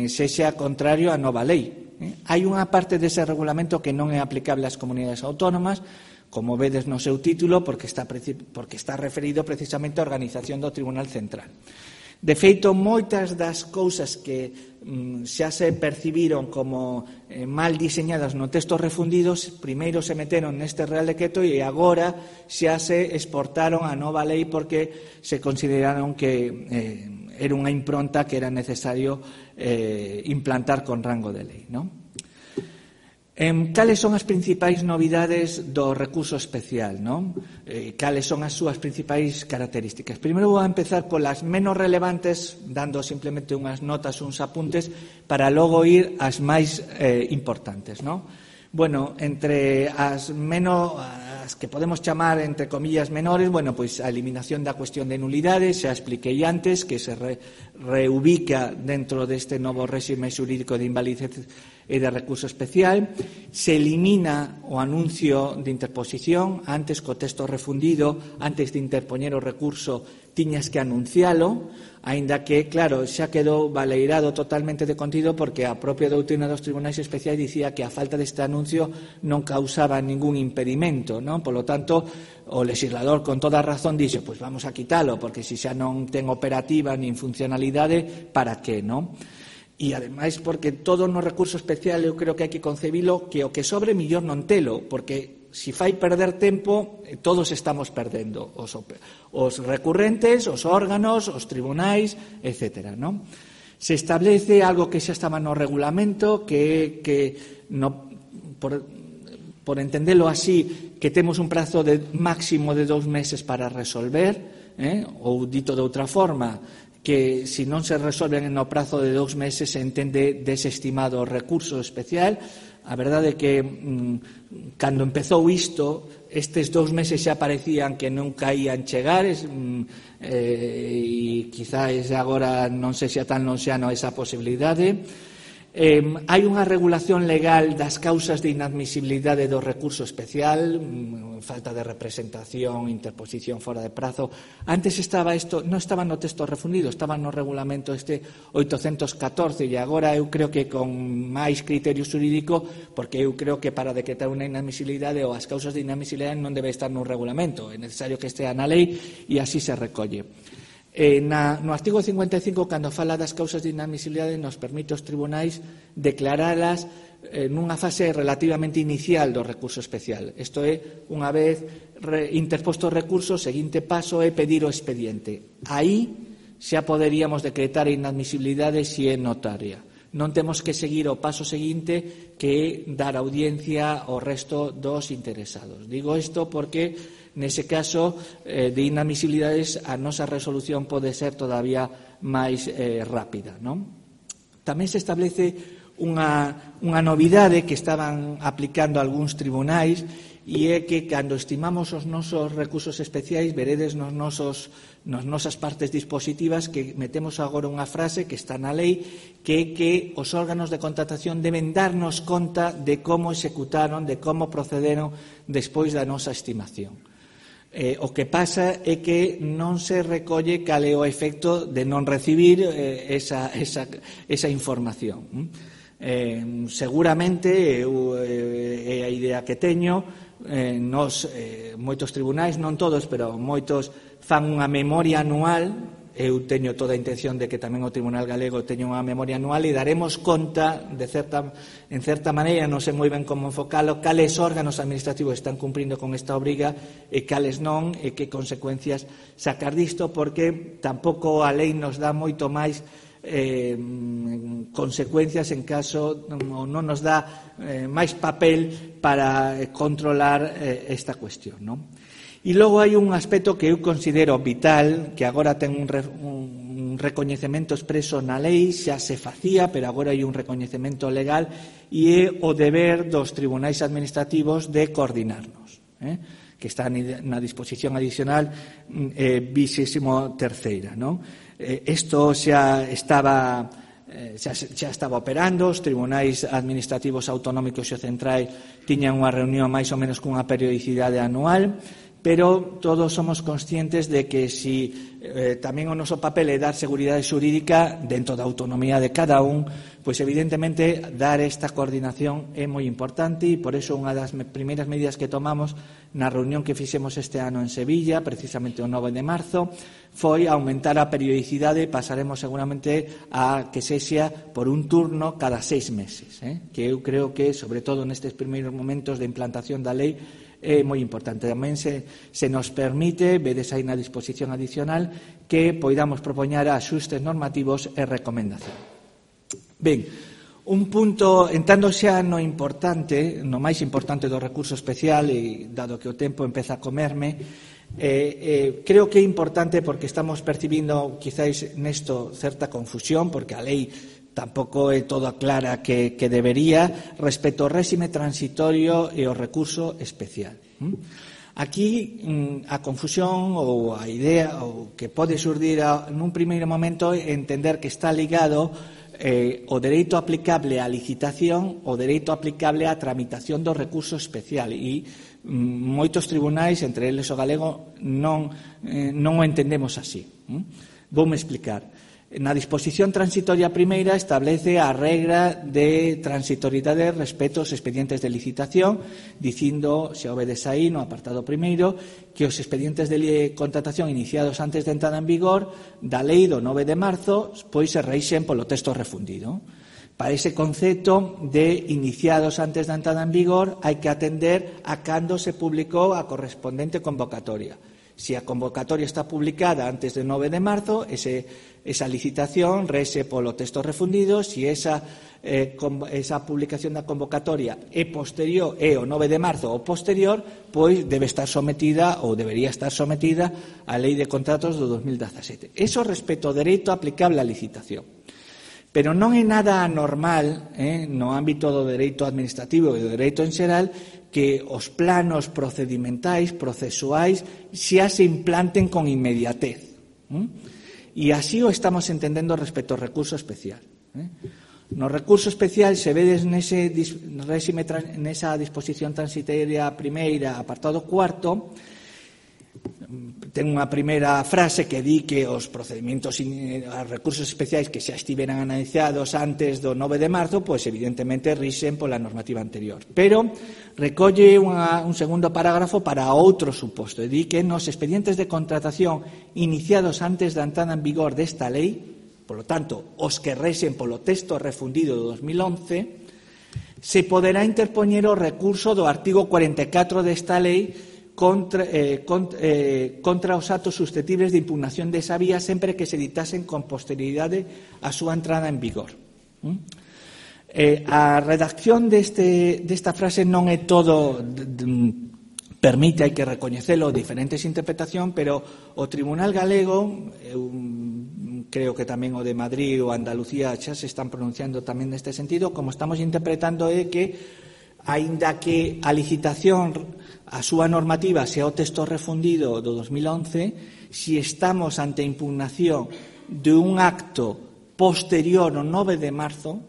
sexa contrario á nova lei. Hai unha parte dese regulamento que non é aplicable ás comunidades autónomas, como vedes no seu título, porque está referido precisamente á organización do Tribunal Central. De feito, moitas das cousas que xa se percibiron como mal diseñadas no texto refundidos, primeiro se meteron neste Real Decreto e agora xa se exportaron á nova lei porque se consideraron que era unha impronta que era necesario implantar con rango de lei, non? Cales son as principais novidades do recurso especial, non? Cales son as súas principais características? Primeiro vou a empezar polas menos relevantes, dando simplemente unhas notas, uns apuntes, para logo ir ás máis importantes, non? Bueno, entre as que podemos chamar, entre comillas, menores, bueno, pois a eliminación da cuestión de nulidades, xa expliquei antes, que se reubica dentro deste novo réxime xurídico de invalidez e de recurso especial. Se elimina o anuncio de interposición. Antes, co texto refundido, antes de interpoñer o recurso, tiñas que anuncialo, aínda que, claro, xa quedou baleirado totalmente de contido, porque a propia doutrina dos tribunais especiais dicía que a falta deste anuncio non causaba ningún impedimento, non? Polo tanto, o legislador con toda razón dixo, pois vamos a quitalo, porque se xa non ten operativa nin funcionalidade, para que, non? E, ademais, porque todo no recurso especial eu creo que hai que concebilo que o que sobre millor non telo, porque si fai perder tempo, todos estamos perdendo, os recurrentes, os órganos, os tribunais, etc. Non? Se establece algo que xa estaba no regulamento, por entendelo así, que temos un prazo máximo de 2 meses para resolver, ou dito de outra forma, que se non se resolven no prazo de 2 meses se entende desestimado o recurso especial. A verdade é que cando empezou isto, estes 2 meses xa parecían que nunca ían chegar, e quizás agora non se xa tan lonxano esa posibilidade. Hai unha regulación legal das causas de inadmisibilidade do recurso especial, falta de representación, interposición fora de prazo. Antes non estaba no texto refundido, estaba no regulamento 814, e agora eu creo que con máis criterio xurídico, porque eu creo que para decretar unha inadmisibilidade ou as causas de inadmisibilidade non debe estar no regulamento, é necesario que estea na lei e así se recolle. No artigo 55, cando fala das causas de inadmisibilidade, nos permite aos tribunais declaralas nunha fase relativamente inicial do recurso especial. Isto é, unha vez interposto o recurso, o seguinte paso é pedir o expediente. Aí xa poderíamos decretar a inadmisibilidade se é notaria. Non temos que seguir o paso seguinte, que é dar audiencia ao resto dos interesados. Digo isto porque nese caso de inadmisibilidades a nosa resolución pode ser todavía máis rápida, non? Tamén se establece unha novidade que estaban aplicando algúns tribunais, e é que cando estimamos os nosos recursos especiais, veredes nas nosas partes dispositivas que metemos agora unha frase que está na lei, que é que os órganos de contratación deben darnos conta de como executaron, de como procederon despois da nosa estimación. O que pasa é que non se recolle cal é o efecto de non recibir esa información. Seguramente, é a idea que teño, moitos tribunais, non todos, pero moitos fan unha memoria anual. Eu teño toda a intención de que tamén o Tribunal Galego teña unha memoria anual e daremos conta, en certa maneira, non sei moi ben como enfocalo, cales órganos administrativos están cumprindo con esta obriga e cales non, e que consecuencias sacar disto, porque tampouco a lei nos dá moito máis consecuencias en caso non nos dá máis papel para controlar esta cuestión, non? E logo hai un aspecto que eu considero vital, que agora ten un recoñecemento expreso na lei, xa se facía, pero agora hai un recoñecemento legal, e é o deber dos tribunais administrativos de coordinarnos, que está na disposición adicional 23ª, non? Isto xa estaba operando, os tribunais administrativos autonómicos e centrais tiñan unha reunión máis ou menos cunha periodicidade anual, pero todos somos conscientes de que si tamén o noso papel é dar seguridade xurídica dentro da autonomía de cada un, pois evidentemente dar esta coordinación é moi importante, e por eso unha das primeiras medidas que tomamos na reunión que fixemos este ano en Sevilla, precisamente o 9 de marzo, foi aumentar a periodicidade. Pasaremos seguramente a que sexa por un turno cada 6 meses, que eu creo que, sobre todo nestes primeiros momentos de implantación da lei, é moi importante. Tamén se nos permite, vedes aí na disposición adicional, que poidamos propoñer axustes normativos e recomendación. Ben, un punto, entrando xa no importante, no máis importante do recurso especial, e dado que o tempo empeza a comerme, creo que é importante porque estamos percibindo quizáis nesto certa confusión, porque a lei tampouco é toda clara que debería, respecto ao réxime transitorio e ao recurso especial. Aquí a confusión ou a idea ou que pode xurdir nun primeiro momento é entender que está ligado o dereito aplicable á licitación, o dereito aplicable á tramitación do recurso especial, e moitos tribunais, entre eles o galego, non o entendemos así. Voume explicar. Na disposición transitoria primeira establece a regra de transitoriedade respecto aos expedientes de licitación, dicindo, se obedes aí no apartado primeiro, que os expedientes de contratación iniciados antes de entrada en vigor da lei do 9 de marzo pois se reixen polo texto refundido. Para ese concepto de iniciados antes da entrada en vigor hai que atender a cando se publicou a correspondente convocatoria. Se a convocatoria está publicada antes do 9 de marzo, esa licitación rese polo texto refundido. Se esa publicación da convocatoria é posterior, é o 9 de marzo ou posterior, pois debe estar sometida ou debería estar sometida á Lei de Contratos do 2017. Eso respecto ao dereito aplicable á licitación. Pero non é nada anormal no ámbito do dereito administrativo e do dereito en xeral que os planos procedimentais, procesuais, xa se implanten con inmediatez. E así o estamos entendendo respecto ao recurso especial. No recurso especial, se vedes nesa disposición transitoria primeira, apartado cuarto, ten unha primeira frase que di que os procedimentos, os recursos especiais que xa estiveran analizados antes do 9 de marzo, pois evidentemente rixen pola normativa anterior. Pero recolle un segundo parágrafo para outro suposto, e di que nos expedientes de contratación iniciados antes da entrada en vigor desta lei, polo tanto, os que rexen polo texto refundido do 2011, se poderá interpoñer o recurso do artigo 44 desta lei contra os actos susceptibles de impugnación desa vía sempre que se ditasen con posterioridade a súa entrada en vigor. A redacción desta frase non é todo, permite, hai que recoñecelo, diferentes interpretacións, pero o Tribunal Galego, creo que tamén o de Madrid ou Andalucía xa se están pronunciando tamén neste sentido, como estamos interpretando é que aínda que a licitación, a súa normativa sea o texto refundido do 2011, se estamos ante a impugnación de un acto posterior ao 9 de marzo,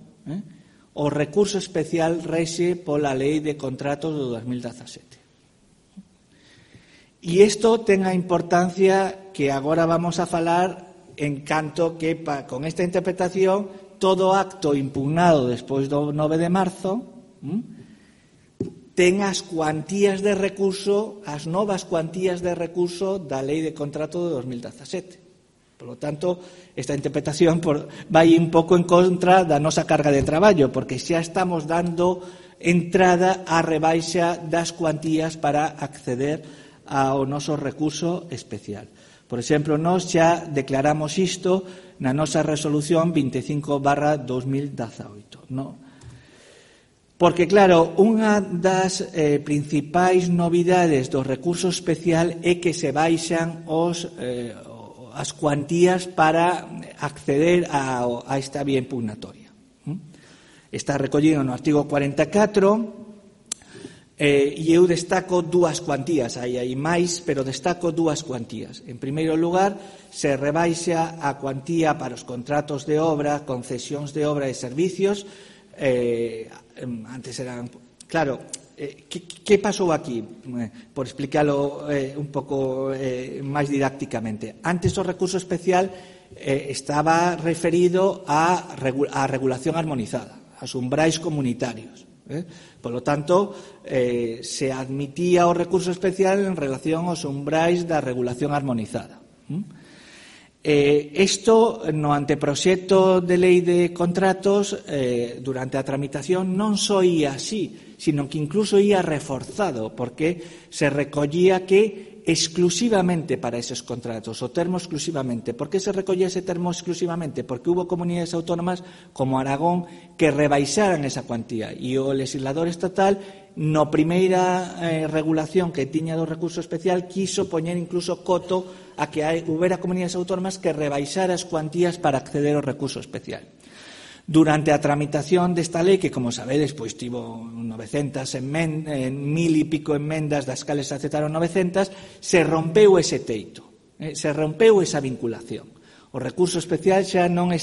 o recurso especial rexe pola Lei de Contratos do 2017. E isto ten a importancia que agora vamos a falar, en canto que con esta interpretación todo acto impugnado despois do 9 de marzo ten as cuantías de recurso, as novas cuantías de recurso da Lei de Contrato de 2017. Por lo tanto, esta interpretación vai un pouco en contra da nosa carga de traballo, porque xa estamos dando entrada á rebaixa das cuantías para acceder ao noso recurso especial. Por exemplo, nós xa declaramos isto na nosa resolución 25/2018, non? Porque, claro, unha das principais novidades do recurso especial é que se baixan as cuantías para acceder a esta vía impugnatoria. Está recollido no artigo 44 e eu destaco dúas cuantías. Hai máis, pero destaco dúas cuantías. En primeiro lugar, se rebaixa a cuantía para os contratos de obra, concesións de obra e servicios. Antes eran, claro, que pasou aquí? Por explicarlo un pouco máis didácticamente. Antes o recurso especial estaba referido á regulación armonizada, aos umbrais comunitarios. Por lo tanto, se admitía o recurso especial en relación aos umbrais da regulación armonizada. Isto no anteproxecto de lei de contratos durante a tramitación non só ia así, sino que incluso ia reforzado, porque se recollía que exclusivamente para esos contratos, o termo exclusivamente. Por que se recollía ese termo exclusivamente? Porque hubo comunidades autónomas como Aragón que rebaixaran esa cuantía e o legislador estatal no primeira regulación que tiña do recurso especial quiso poñer incluso coto a que houbera comunidades autónomas que rebaixara as cuantías para acceder ao recurso especial. Durante a tramitación desta lei, que como sabedes, pois tivo 900 enmendas, 1000 e pico enmendas, das cales se aceptaron 900, se rompeu ese teito, se rompeu esa vinculación. O recurso especial xa non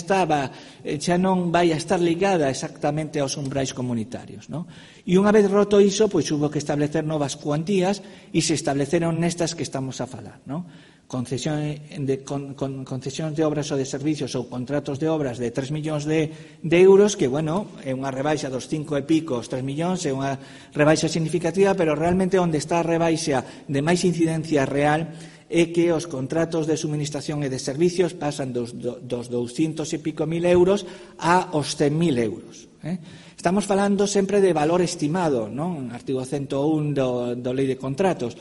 vai a estar ligada exactamente aos umbrais comunitarios, non? E unha vez roto iso, pois hubo que establecer novas cuantías e se estableceron nestas que estamos a falar, non? Concesións de obras ou de servicios ou contratos de obras de 3 millóns de euros, que, bueno, é unha rebaixa dos 5 e pico, os 3 millóns, é unha rebaixa significativa, pero realmente onde está a rebaixa de máis incidencia real é que os contratos de suministración e de servicios pasan dos 200 e pico mil euros a os 100.000 euros. Estamos falando sempre de valor estimado, non? Artigo 101 do Lei de Contratos.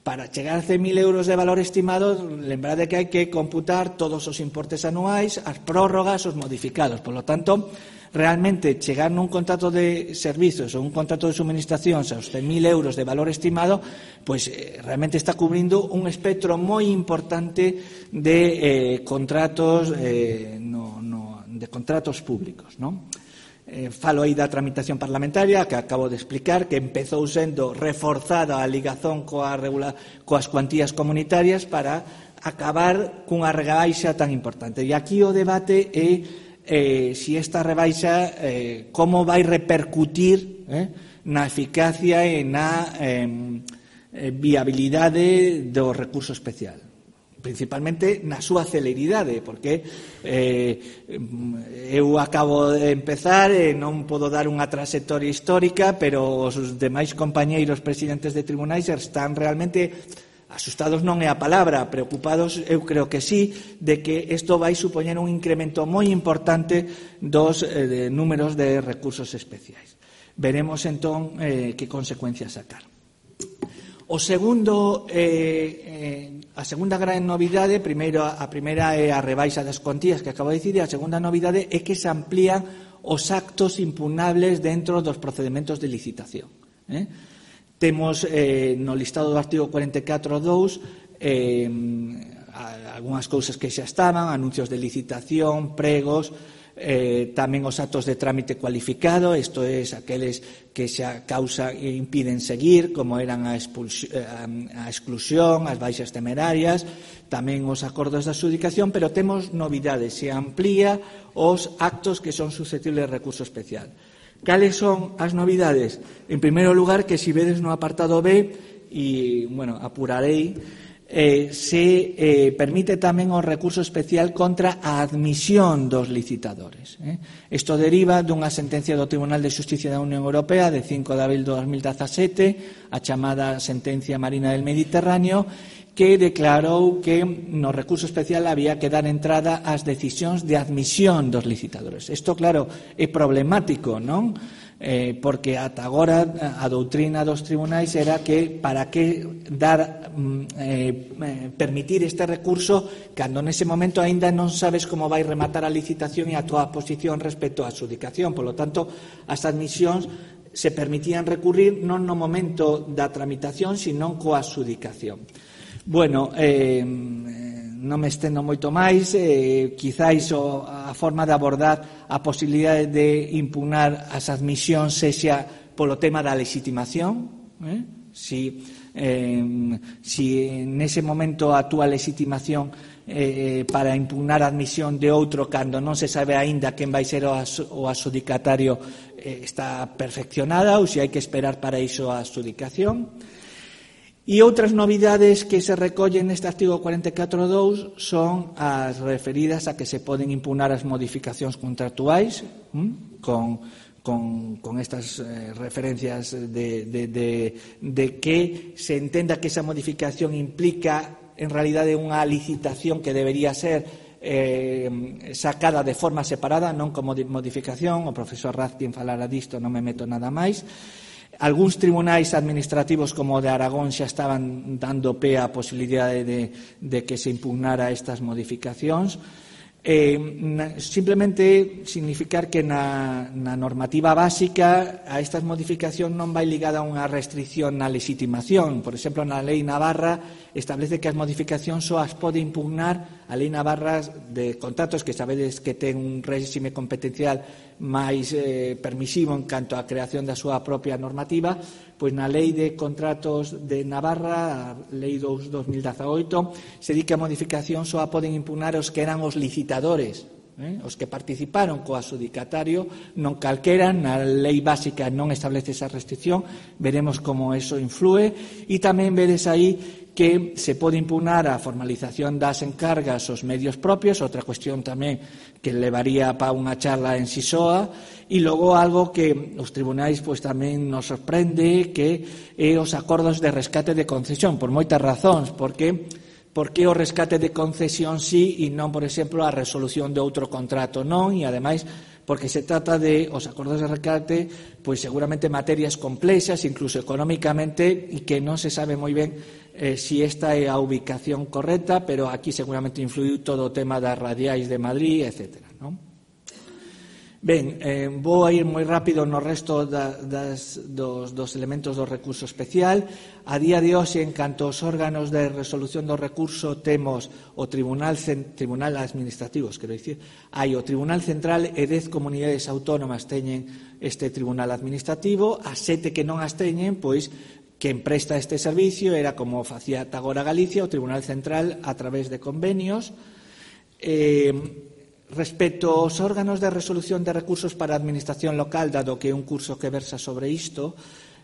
Para chegar a 100.000 euros de valor estimado, lembrade que hai que computar todos os importes anuais, as prórrogas, os modificados. Por lo tanto, realmente chegar nun contrato de servizos ou un contrato de suministracións aos 100.000 euros de valor estimado, pois realmente está cubrindo un espectro moi importante de contratos de contratos públicos, non? Falo aí da tramitación parlamentaria que acabo de explicar, que empezou sendo reforzada a ligazón coas cuantías comunitarias para acabar cunha rebaixa tan importante. E aquí o debate é si esta rebaixa como vai repercutir na eficacia e na viabilidade do recurso especial, principalmente na súa celeridade, porque eu acabo de empezar e non podo dar unha trayectoria histórica, pero os demais compañeiros presidentes de tribunais están realmente asustados, non é a palabra, preocupados, eu creo que sí, de que isto vai supoñer un incremento moi importante dos números de recursos especiais. Veremos entón que consecuencias sacar. A segunda gran novidade, a primeira é a rebaixa das contías que acabo de dicir, e a segunda novidade é que se amplían os actos impugnables dentro dos procedementos de licitación. Temos no listado do artigo 44.2 algunhas cousas que xa estaban, anuncios de licitación, pregos, tamén os actos de trámite cualificado, isto é, aqueles que xa causa e impiden seguir, como eran a exclusión, as baixas temerarias, tamén os acordos de adxudicación, pero temos novidades, se amplía os actos que son susceptibles de recurso especial. Cales son as novidades? En primeiro lugar, que se vedes no apartado B, e, bueno, apurarei, se permite tamén o recurso especial contra a admisión dos licitadores. Isto deriva dunha sentencia do Tribunal de Xusticia da Unión Europea de 5 de abril de 2017, a chamada Sentencia Marina del Mediterráneo, que declarou que no recurso especial había que dar entrada ás decisións de admisión dos licitadores. Isto, claro, é problemático, non? Porque ata agora a doutrina dos tribunais era que para que permitir este recurso cando nese momento aínda non sabes como vai rematar a licitación e a túa posición respecto á adxudicación. Por lo tanto, as admisións se permitían recurrir non no momento da tramitación, sino coa adxudicación. Bueno, non me estendo moito máis, quizáis a forma de abordar a posibilidade de impugnar as admisións sexa polo tema da legitimación, si nese momento a túa legitimación para impugnar a admisión de outro cando non se sabe aínda quen vai ser o adxudicatario está perfeccionada ou se hai que esperar para iso a adxudicación. E outras novidades que se recollen neste artigo 44.2 son as referidas a que se poden impugnar as modificacións contractuais con estas referencias de que se entenda que esa modificación implica en realidade unha licitación que debería ser sacada de forma separada, non como modificación. O profesor Razkin falara disto, non me meto nada máis. Algúns tribunais administrativos como o de Aragón xa estaban dando pé á posibilidade de que se impugnara estas modificacións. Simplemente significar que na normativa básica a estas modificacións non vai ligada a unha restricción na legitimación. Por exemplo, na Lei Navarra establece que as modificacións só as pode impugnar a Lei Navarra de contratos, que sabedes que ten un réxime competencial máis permisivo en canto á creación da súa propia normativa. Pois na Lei de Contratos de Navarra, a Lei 2/2018, se di que a modificación só a poden impugnar os que eran os licitadores, os que participaron co adxudicatario, non calquera. Na lei básica non establece esa restricción, veremos como eso influe. E tamén vedes aí que se pode impugnar a formalización das encargas aos medios propios, outra cuestión tamén que levaría para unha charla en Sisoa. E logo algo que os tribunais pois tamén nos sorprende, que é os acordos de rescate de concesión, por moitas razóns, porque por que o rescate de concesión sí e non, por exemplo, a resolución de outro contrato non, e ademais porque se trata de os acordos de rescate, pois seguramente materias complexas, incluso económicamente, e que non se sabe moi ben si esta é a ubicación correcta, pero aquí seguramente influiu todo o tema das radiais de Madrid, etc. Non? Ben, vou a ir moi rápido no resto dos elementos do recurso especial. A día de hoxe, en canto aos órganos de resolución do recurso, temos o Tribunal Administrativos, quero dicir, hai o Tribunal Central e 10 comunidades autónomas teñen este Tribunal Administrativo, as 7 que non as teñen, pois, quen presta este servicio era, como facía ata agora Galicia, o Tribunal Central a través de convenios. Respecto aos órganos de resolución de recursos para a administración local, dado que é un curso que versa sobre isto,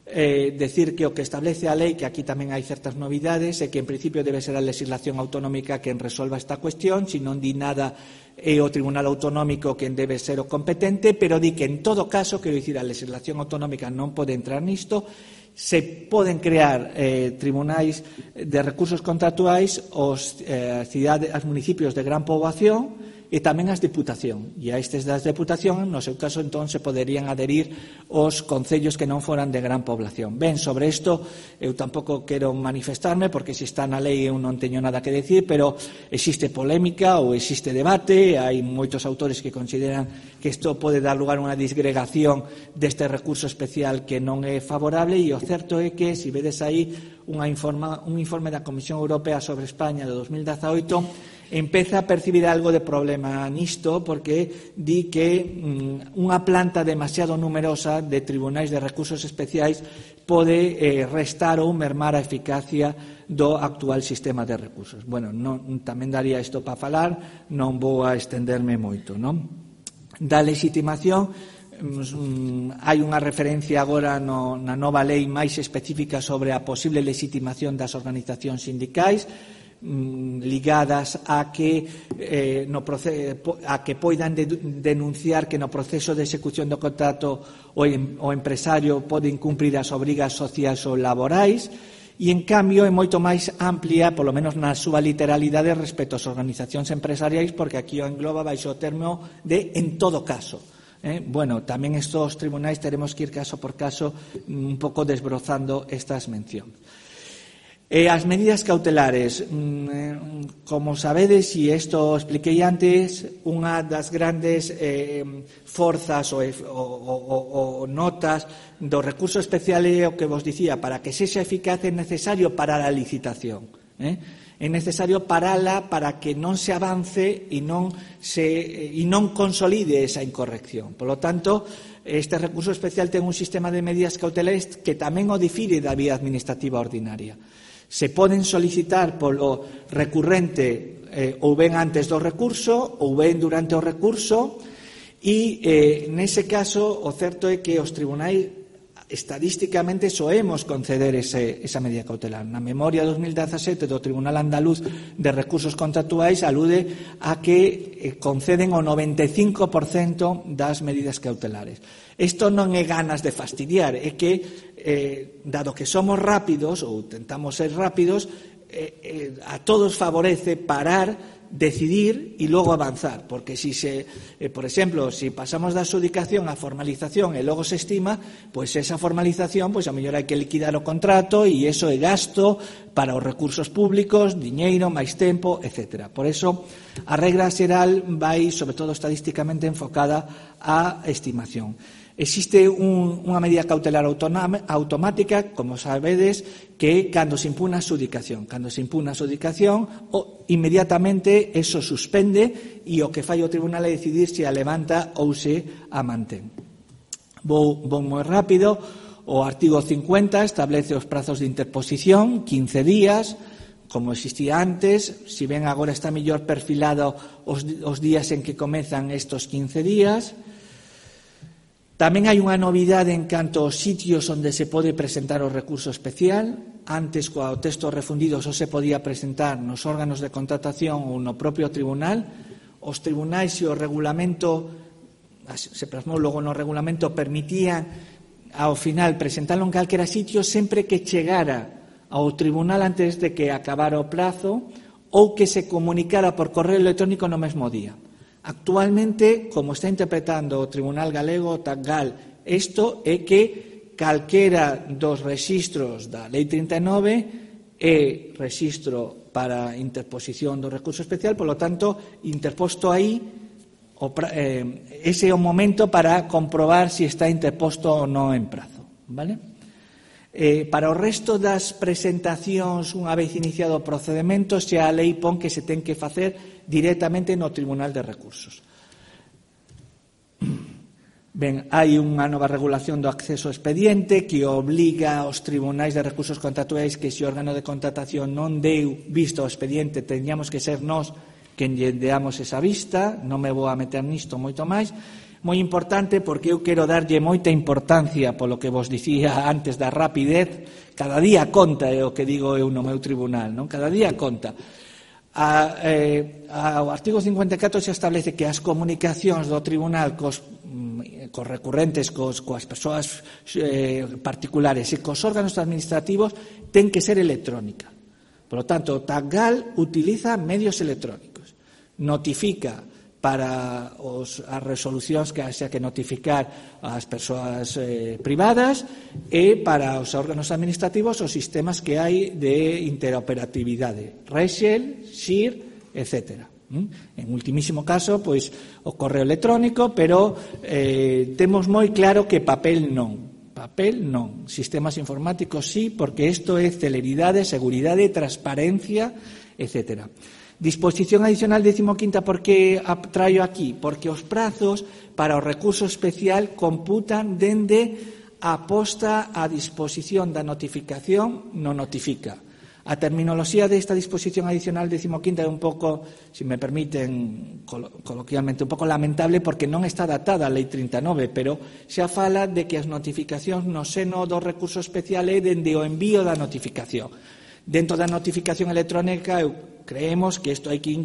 decir que o que establece a lei, que aquí tamén hai certas novidades, é que en principio debe ser a legislación autonómica quen resolva esta cuestión, se non di nada é o Tribunal Autonómico quen debe ser o competente, pero di que en todo caso, quero dicir, a legislación autonómica non pode entrar nisto, se poden crear tribunais de recursos contractuais aos municipios de gran poboación e tamén as Diputación. E a estes das Deputación, no seu caso, entón, se poderían adherir os concellos que non foran de gran población. Ben, sobre isto, eu tampouco quero manifestarme, porque se está na lei eu non teño nada que decir, pero existe polémica ou existe debate, hai moitos autores que consideran que isto pode dar lugar a unha disgregación deste recurso especial que non é favorable, e o certo é que, se vedes aí un informe da Comisión Europea sobre España de 2018, empeza a percibir algo de problema nisto, porque di que unha planta demasiado numerosa de tribunais de recursos especiais pode restar ou mermar a eficacia do actual sistema de recursos. Bueno, tamén daría isto para falar, non vou a estenderme moito, non? Da legitimación, hai unha referencia agora na nova lei máis específica sobre a posible legitimación das organizacións sindicais, ligadas a que poidan denunciar que no proceso de execución do contrato o empresario pode incumprir as obrigas sociais ou laborais, e en cambio é moito máis amplia, polo menos na súa literalidade, respecto ás organizacións empresariais, porque aquí o engloba baixo o termo de en todo caso. Bueno, tamén estos tribunais teremos que ir caso por caso un pouco desbrozando estas mencións. As medidas cautelares, como sabedes, e isto expliquei antes, unha das grandes forzas ou notas do recurso especial é o que vos dicía, para que sexa eficaz é necesario parar a licitación. É necesario parala para que non se avance e non consolide esa incorrección. Por lo tanto, este recurso especial ten un sistema de medidas cautelares que tamén o difire da vía administrativa ordinaria. Se poden solicitar polo recurrente ou ben antes do recurso ou ben durante o recurso, e nese caso o certo é que os tribunais estadísticamente soemos conceder esa medida cautelar. Na memoria 2017 do Tribunal Andaluz de Recursos Contractuais alude a que conceden o 95% das medidas cautelares. Isto non é ganas de fastidiar, é que dado que somos rápidos ou tentamos ser rápidos, a todos favorece parar, decidir e logo avanzar, porque por exemplo, se pasamos da adxudicación á formalización e logo se estima, pois esa formalización, pois a mellor hai que liquidar o contrato e iso é gasto para os recursos públicos, diñeiro, máis tempo, etc. Por eso, a regra xeral vai, sobre todo estadísticamente, enfocada á estimación. Existe unha medida cautelar automática, como sabedes, que cando se impugna a adxudicación. Cando se impugna a adxudicación, inmediatamente eso suspende e o que fai o tribunal é decidir se a levanta ou se a mantén. Vou moi rápido. O artigo 50 establece os prazos de interposición, 15 días, como existía antes. Si ben agora está mellor perfilado os días en que comezan estos 15 días. Tamén hai unha novidade en canto aos sitios onde se pode presentar o recurso especial. Antes, coa o texto refundido, só se podía presentar nos órganos de contratación ou no propio tribunal. Os tribunais e o regulamento, se plasmou logo no regulamento, permitían ao final presentalo en calquera sitio sempre que chegara ao tribunal antes de que acabara o plazo, ou que se comunicara por correo electrónico no mesmo día. Actualmente, como está interpretando o Tribunal Galego, o TACGAL, isto é que calquera dos rexistros da Lei 39 é rexistro para interposición do recurso especial, polo tanto, interposto aí, ese é o momento para comprobar se está interposto ou non en prazo. Vale? Para o resto das presentacións, unha vez iniciado o procedemento, xa a lei pon que se ten que facer directamente no Tribunal de Recursos. Ben, hai unha nova regulación do acceso ao expediente que obliga aos tribunais de recursos contractuais que se o órgano de contratación non deu visto ao expediente, teñamos que ser nós quen lle deamos esa vista. Non me vou a meter nisto moito máis. Moi importante, porque eu quero darlle moita importancia polo que vos dicía antes da rapidez. Cada día conta, é o que digo eu no meu tribunal, non? Cada día conta. O artigo 54 xa establece que as comunicacións do tribunal cos recurrentes, coas persoas particulares e cos órganos administrativos ten que ser electrónica. Por lo tanto, o TACGAL utiliza medios electrónicos. Notifica para as resolucións que haxa que notificar ás persoas privadas e para os órganos administrativos os sistemas que hai de interoperatividade, REXEL, SIR, etc. En ultimísimo caso, pois o correo electrónico, pero temos moi claro que papel non. Papel non. Sistemas informáticos sí, porque isto é celeridade, seguridade, transparencia, etc. Disposición adicional 15ª, por que a traio aquí? Porque os prazos para o recurso especial computan dende a posta a disposición da notificación no notifica. A terminoloxía desta disposición adicional 15ª é un pouco, se me permiten coloquialmente, un pouco lamentable porque non está datada a Lei 39, pero xa fala de que as notificacións no seno do recurso especial é dende o envío da notificación. Dentro da notificación electrónica, creemos que isto hai que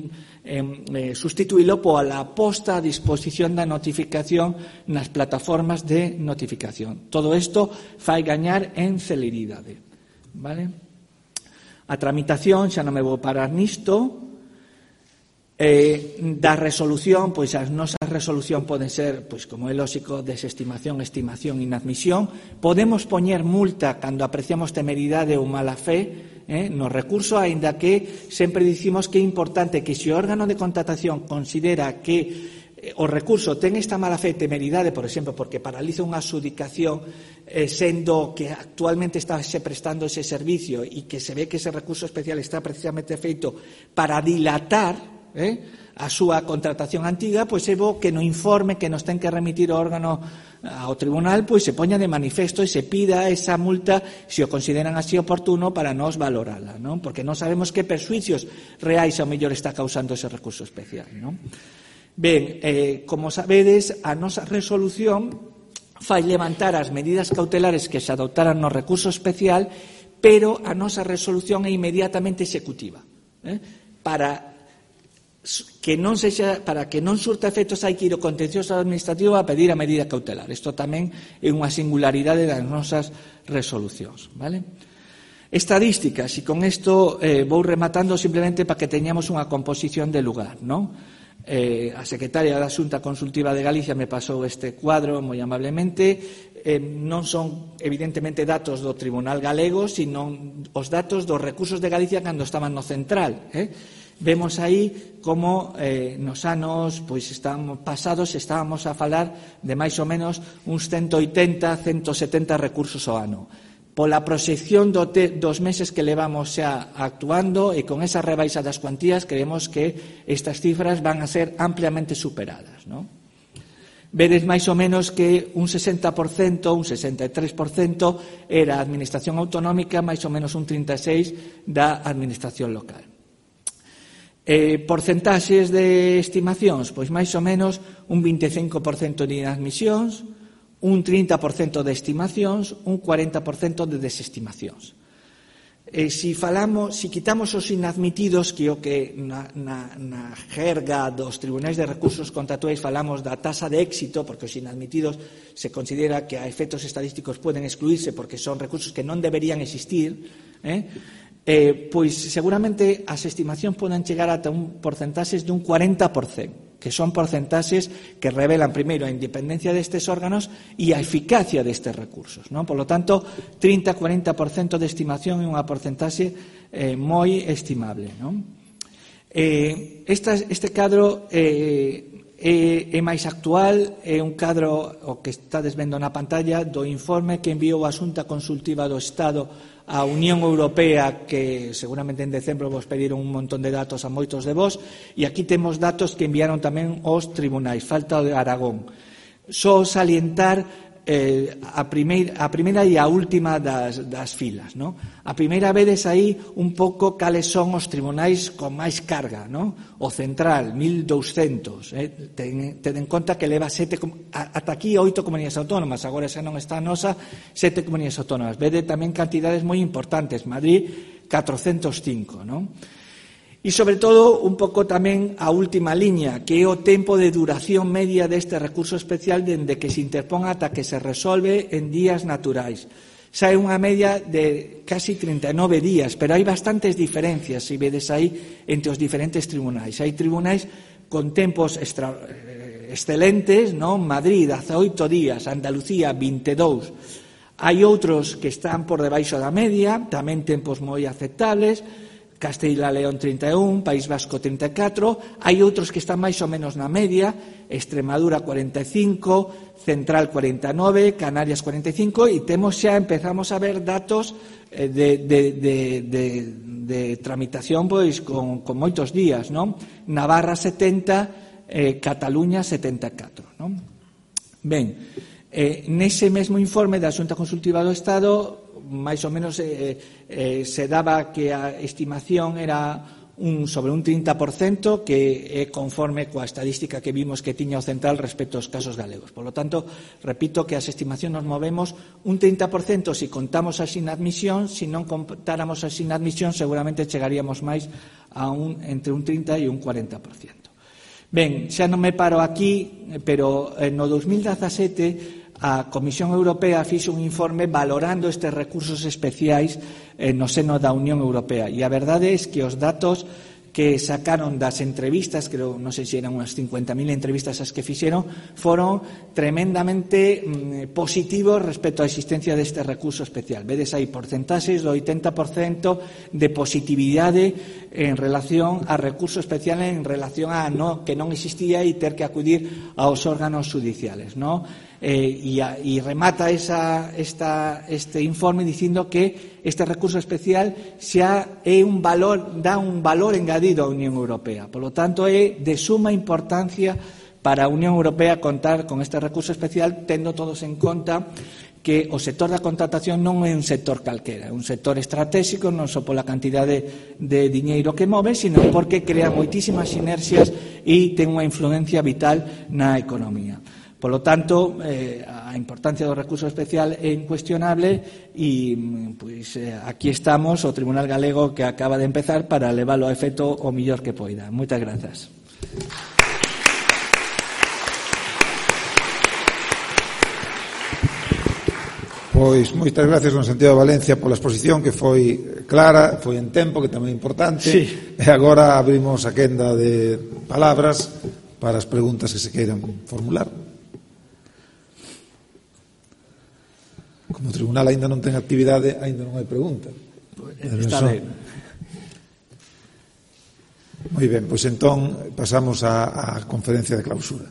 sustituílo pola posta a disposición da notificación nas plataformas de notificación. Todo isto fai gañar en celeridade. Vale? A tramitación, xa non me vou parar nisto, da resolución, pois as nosas resolución poden ser, pois como é lógico, desestimación, estimación, inadmisión. Podemos poñer multa cando apreciamos temeridade ou mala fe no recurso, aínda que sempre dicimos que é importante que se o órgano de contratación considera que o recurso ten esta mala fe, temeridade, por exemplo, porque paraliza unha adxudicación sendo que actualmente está se prestando ese servicio e que se ve que ese recurso especial está precisamente feito para dilatar a súa contratación antiga, pois é bo que no informe que nos ten que remitir o órgano ao tribunal, pois se poña de manifesto e se pida esa multa se o consideran así oportuno para nos valorala, non? Porque non sabemos que perxuicios reais ao mellor está causando ese recurso especial, non? Ben, como sabedes, a nosa resolución fai levantar as medidas cautelares que se adoptaran no recurso especial, pero a nosa resolución é inmediatamente executiva. Para que non surta efectos hai que ir ao contencioso administrativo a pedir a medida cautelar. Isto tamén é unha singularidade das nosas resolucións. Vale? Estadísticas, e con isto vou rematando simplemente para que teñamos unha composición de lugar, non? A secretaria da Xunta Consultiva de Galicia me pasou este cuadro moi amablemente. Non son evidentemente datos do Tribunal Galego, sino os datos dos recursos de Galicia cando estaban no central. Vemos aí como nos anos pasados estábamos a falar de máis ou menos uns 180, 170 recursos ao ano. Pola proxección dos meses que levamos xa actuando e con esa rebaixa das cuantías, creemos que estas cifras van a ser ampliamente superadas, non? Vedes máis ou menos que un 60%, un 63% era a administración autonómica, máis ou menos un 36% da administración local. Porcentaxes de estimacións, pois máis ou menos un 25% de inadmisións, un 30% de estimacións, un 40% de desestimacións. Si quitamos os inadmitidos, que o que na jerga dos tribunais de recursos contractuais falamos da tasa de éxito, porque os inadmitidos se considera que a efectos estadísticos poden excluirse porque son recursos que non deberían existir, pois seguramente as estimacións poden chegar ata un porcentaxes dun 40%, que son porcentaxes que revelan primeiro a independencia destes órganos e a eficacia destes recursos, non? Por lo tanto, 30-40% de estimación é unha porcentaxe moi estimable, non? Este cadro é máis actual, é un cadro, o que estades vendo na pantalla, do informe que enviou a Xunta Consultiva do Estado a Unión Europea, que seguramente en decembro vos pediron un montón de datos a moitos de vos, e aquí temos datos que enviaron tamén os tribunais, falta o de Aragón. Só salientar a primeira e a última das filas, non? A primeira vedes aí un pouco cales son os tribunais con máis carga, non? O central, 1.200, ten en conta que leva ata aquí 8 comunidades autónomas, agora xa non está a nosa, 7 comunidades autónomas. Vede tamén cantidades moi importantes, Madrid 405, non? E, sobre todo, un pouco tamén a última liña, que é o tempo de duración media deste recurso especial dende que se interpón ata que se resolve en días naturais. Xa é unha media de casi 39 días, pero hai bastantes diferencias, se vedes aí, entre os diferentes tribunais. Hai tribunais con tempos excelentes, non? Madrid, 18 días, Andalucía, 22. Hai outros que están por debaixo da media, tamén tempos moi aceptables, Castilla e León 31, País Vasco 34, hai outros que están máis ou menos na media, Extremadura 45, Central 49, Canarias 45, e empezamos a ver datos de tramitación pois con moitos días, non? Navarra 70, Cataluña 74, non? Ben, nese mesmo informe da Xunta Consultiva do Estado, máis ou menos se daba que a estimación era sobre un 30%, que é conforme coa estadística que vimos que tiña o central respecto aos casos galegos. Por lo tanto, repito que as estimacións nos movemos un 30% se contamos as inadmisións, se non contáramos as inadmisións seguramente chegaríamos máis a entre un 30 e un 40%. Ben, xa non me paro aquí, pero no 2017 a Comisión Europea fixo un informe valorando estes recursos especiais no seno da Unión Europea, e a verdade é que os datos que sacaron das entrevistas, creo, non sei se eran unhas 50.000 entrevistas as que fixeron, foron tremendamente positivos respecto á existencia deste recurso especial. Vedes aí porcentaxes do 80% de positividade en relación a recurso especial, en relación a que non existía e ter que acudir aos órganos judiciales, non? E remata este informe dicindo que este recurso especial xa é dá un valor engadido á Unión Europea. Por lo tanto, é de suma importancia para a Unión Europea contar con este recurso especial, tendo todos en conta que o sector da contratación non é un sector calquera, é un sector estratégico, non só pola cantidade de diñeiro que move, sino porque crea moitísimas sinerxias e ten unha influencia vital na economía. Por lo tanto, a importancia do recurso especial é incuestionable e pois, aquí estamos, o Tribunal Galego que acaba de empezar, para leválo a efecto o millor que poida. Moitas grazas. Pois moitas gracias, don Santiago Valencia, pola exposición, que foi clara, foi en tempo, que tamén é importante. Sí. E agora abrimos a quenda de palabras para as preguntas que se queiran formular. Como o tribunal aínda non ten actividade, aínda non hai pregunta. Está ben. Moi ben, pois entón pasamos á conferencia de clausura.